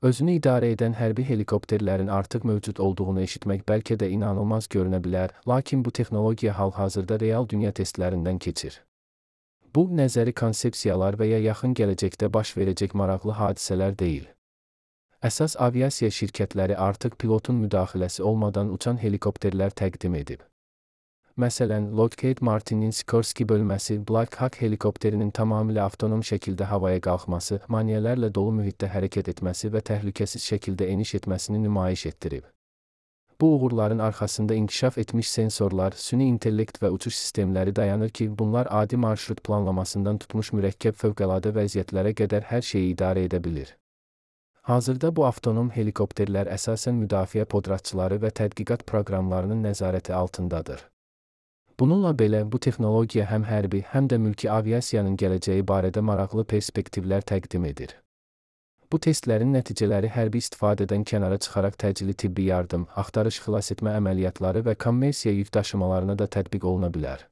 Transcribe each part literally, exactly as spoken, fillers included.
Özünü idarə edən hərbi helikopterlərin artıq mövcud olduğunu eşitmək bəlkə də inanılmaz görünə bilər, lakin bu texnologiya hal-hazırda real dünya testlərindən keçir. Bu, nəzəri konsepsiyalar və ya yaxın gələcəkdə baş verəcək maraqlı hadisələr deyil. Əsas aviasiya şirkətləri artıq pilotun müdaxiləsi olmadan uçan helikopterlər təqdim edib. Məsələn, Lockheed Martinin Sikorsky bölməsi Black Hawk helikopterinin tamamilə avtonom şəkildə havaya qalxması, maneələrlə dolu mühitdə hərəkət etməsi və təhlükəsiz şəkildə eniş etməsini nümayiş etdirib. Bu uğurların arxasında inkişaf etmiş sensorlar, süni intellekt və uçuş sistemləri dayanır ki, bunlar adi marşrut planlamasından tutmuş mürəkkəb fövqəladə vəziyyətlərə qədər hər şeyi idarə edə bilir. Hazırda bu avtonom helikopterlər əsasən müdafiə podratçıları və tədqiqat proqramlarının nəzarəti altındadır. Bununla belə, bu texnologiya həm hərbi, həm də mülki aviasiyanın gələcəyi barədə maraqlı perspektivlər təqdim edir. Bu testlərin nəticələri hərbi istifadədən kənara çıxaraq təcili tibbi yardım, axtarış xilasetmə əməliyyatları və kommersiya yük daşımalarına da tətbiq oluna bilər.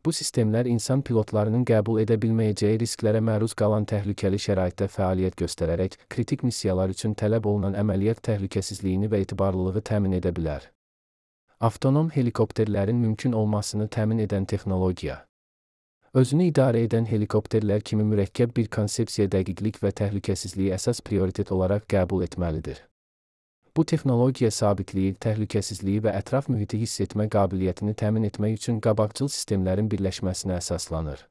Bu sistemlər insan pilotlarının qəbul edə bilməyəcəyi risklərə məruz qalan təhlükəli şəraitdə fəaliyyət göstərərək, kritik missiyalar üçün tələb olunan əməliyyat təhlükəsizliyini və etibarlılığı təmin edə bilər. Avtonom helikopterlərin mümkün olmasını təmin edən texnologiya. Özünü idarə edən helikopterlər kimi mürəkkəb bir konsepsiya dəqiqlik və təhlükəsizliyi əsas prioritet olaraq qəbul etməlidir. Bu texnologiya sabitliyi, təhlükəsizliyi və ətraf mühiti hiss etmə qabiliyyətini təmin etmək üçün qabaqcıl sistemlərin birləşməsinə əsaslanır.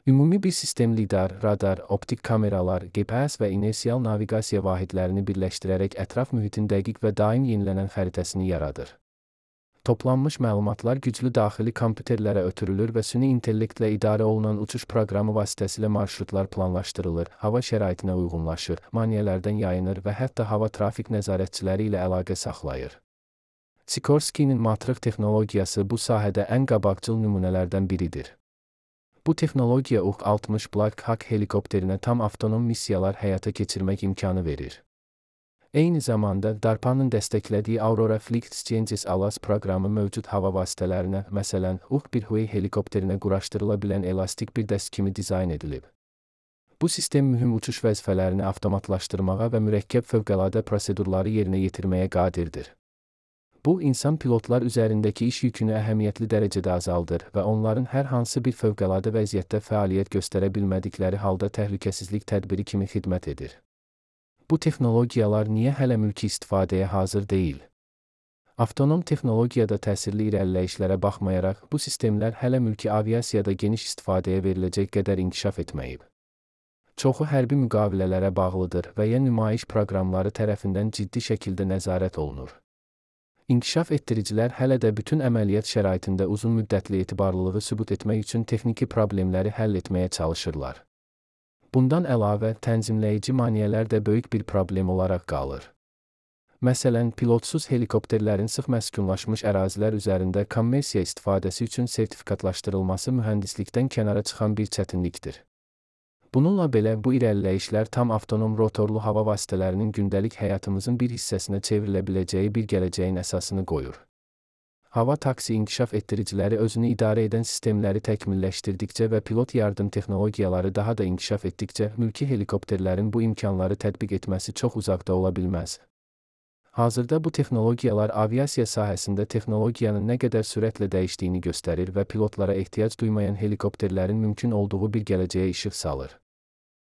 Ümumi bir sistem lidar, radar, optik kameralar, G P S və inersial naviqasiya vahidlərini birləşdirərək ətraf mühitin dəqiq və daim yenilənən xəritəsini yaradır. Toplanmış məlumatlar güclü daxili kompüterlərə ötürülür və süni intellektlə idarə olunan uçuş proqramı vasitəsilə marşrutlar planlaşdırılır, hava şəraitinə uyğunlaşır, maneələrdən yayınır və hətta hava trafik nəzarətçiləri ilə əlaqə saxlayır. Sikorsky'nin Matrix texnologiyası bu sahədə ən qabaqcıl nümunələrdən biridir. Bu texnologiya U altmış Black Hawk helikopterinə tam avtonom missiyalar həyata keçirmək imkanı verir. Eyni zamanda, DARPA-nın dəstəklədiyi Aurora Flight Exchanges ALAS proqramı mövcud hava vasitələrinə, məsələn, U bir Huey helikopterinə quraşdırıla bilən elastik bir dəst kimi dizayn edilib. Bu sistem mühüm uçuş vəzifələrini avtomatlaşdırmağa və mürəkkəb fövqəladə prosedurları yerinə yetirməyə qadirdir. Bu, insan pilotlar üzərindəki iş yükünü əhəmiyyətli dərəcədə azaldır və onların hər hansı bir fövqəladə vəziyyətdə fəaliyyət göstərə bilmədikləri halda təhlükəsizlik tədbiri kimi xidmət edir. Bu texnologiyalar niyə hələ mülki istifadəyə hazır deyil? Avtonom texnologiyada təsirli irəliləyişlərə baxmayaraq, bu sistemlər hələ mülki aviasiyada geniş istifadəyə veriləcək qədər inkişaf etməyib. Çoxu hərbi müqavilələrə bağlıdır və ya nümayiş proqramları tərəfindən ciddi şəkildə nəzarət olunur. İnkişaf etdiricilər hələ də bütün əməliyyat şəraitində uzun müddətli etibarlılığı sübut etmək üçün texniki problemləri həll etməyə çalışırlar. Bundan əlavə, tənzimləyici maneələr də böyük bir problem olaraq qalır. Məsələn, pilotsuz helikopterlərin sıx məskunlaşmış ərazilər üzərində kommersiya istifadəsi üçün sertifikatlaşdırılması mühəndislikdən kənara çıxan bir çətinlikdir. Bununla belə, bu irəliləyişlər tam avtonom rotorlu hava vasitələrinin gündəlik həyatımızın bir hissəsinə çevrilə biləcəyi bir gələcəyin əsasını qoyur. Hava taksi inkişaf etdiriciləri özünü idarə edən sistemləri təkmilləşdirdikcə və pilot yardım texnologiyaları daha da inkişaf etdikcə, mülki helikopterlərin bu imkanları tətbiq etməsi çox uzaqda ola bilməz. Hazırda bu texnologiyalar aviasiya sahəsində texnologiyanın nə qədər sürətlə dəyişdiyini göstərir və pilotlara ehtiyac duymayan helikopterlərin mümkün olduğu bir gələcəyə işıq salır.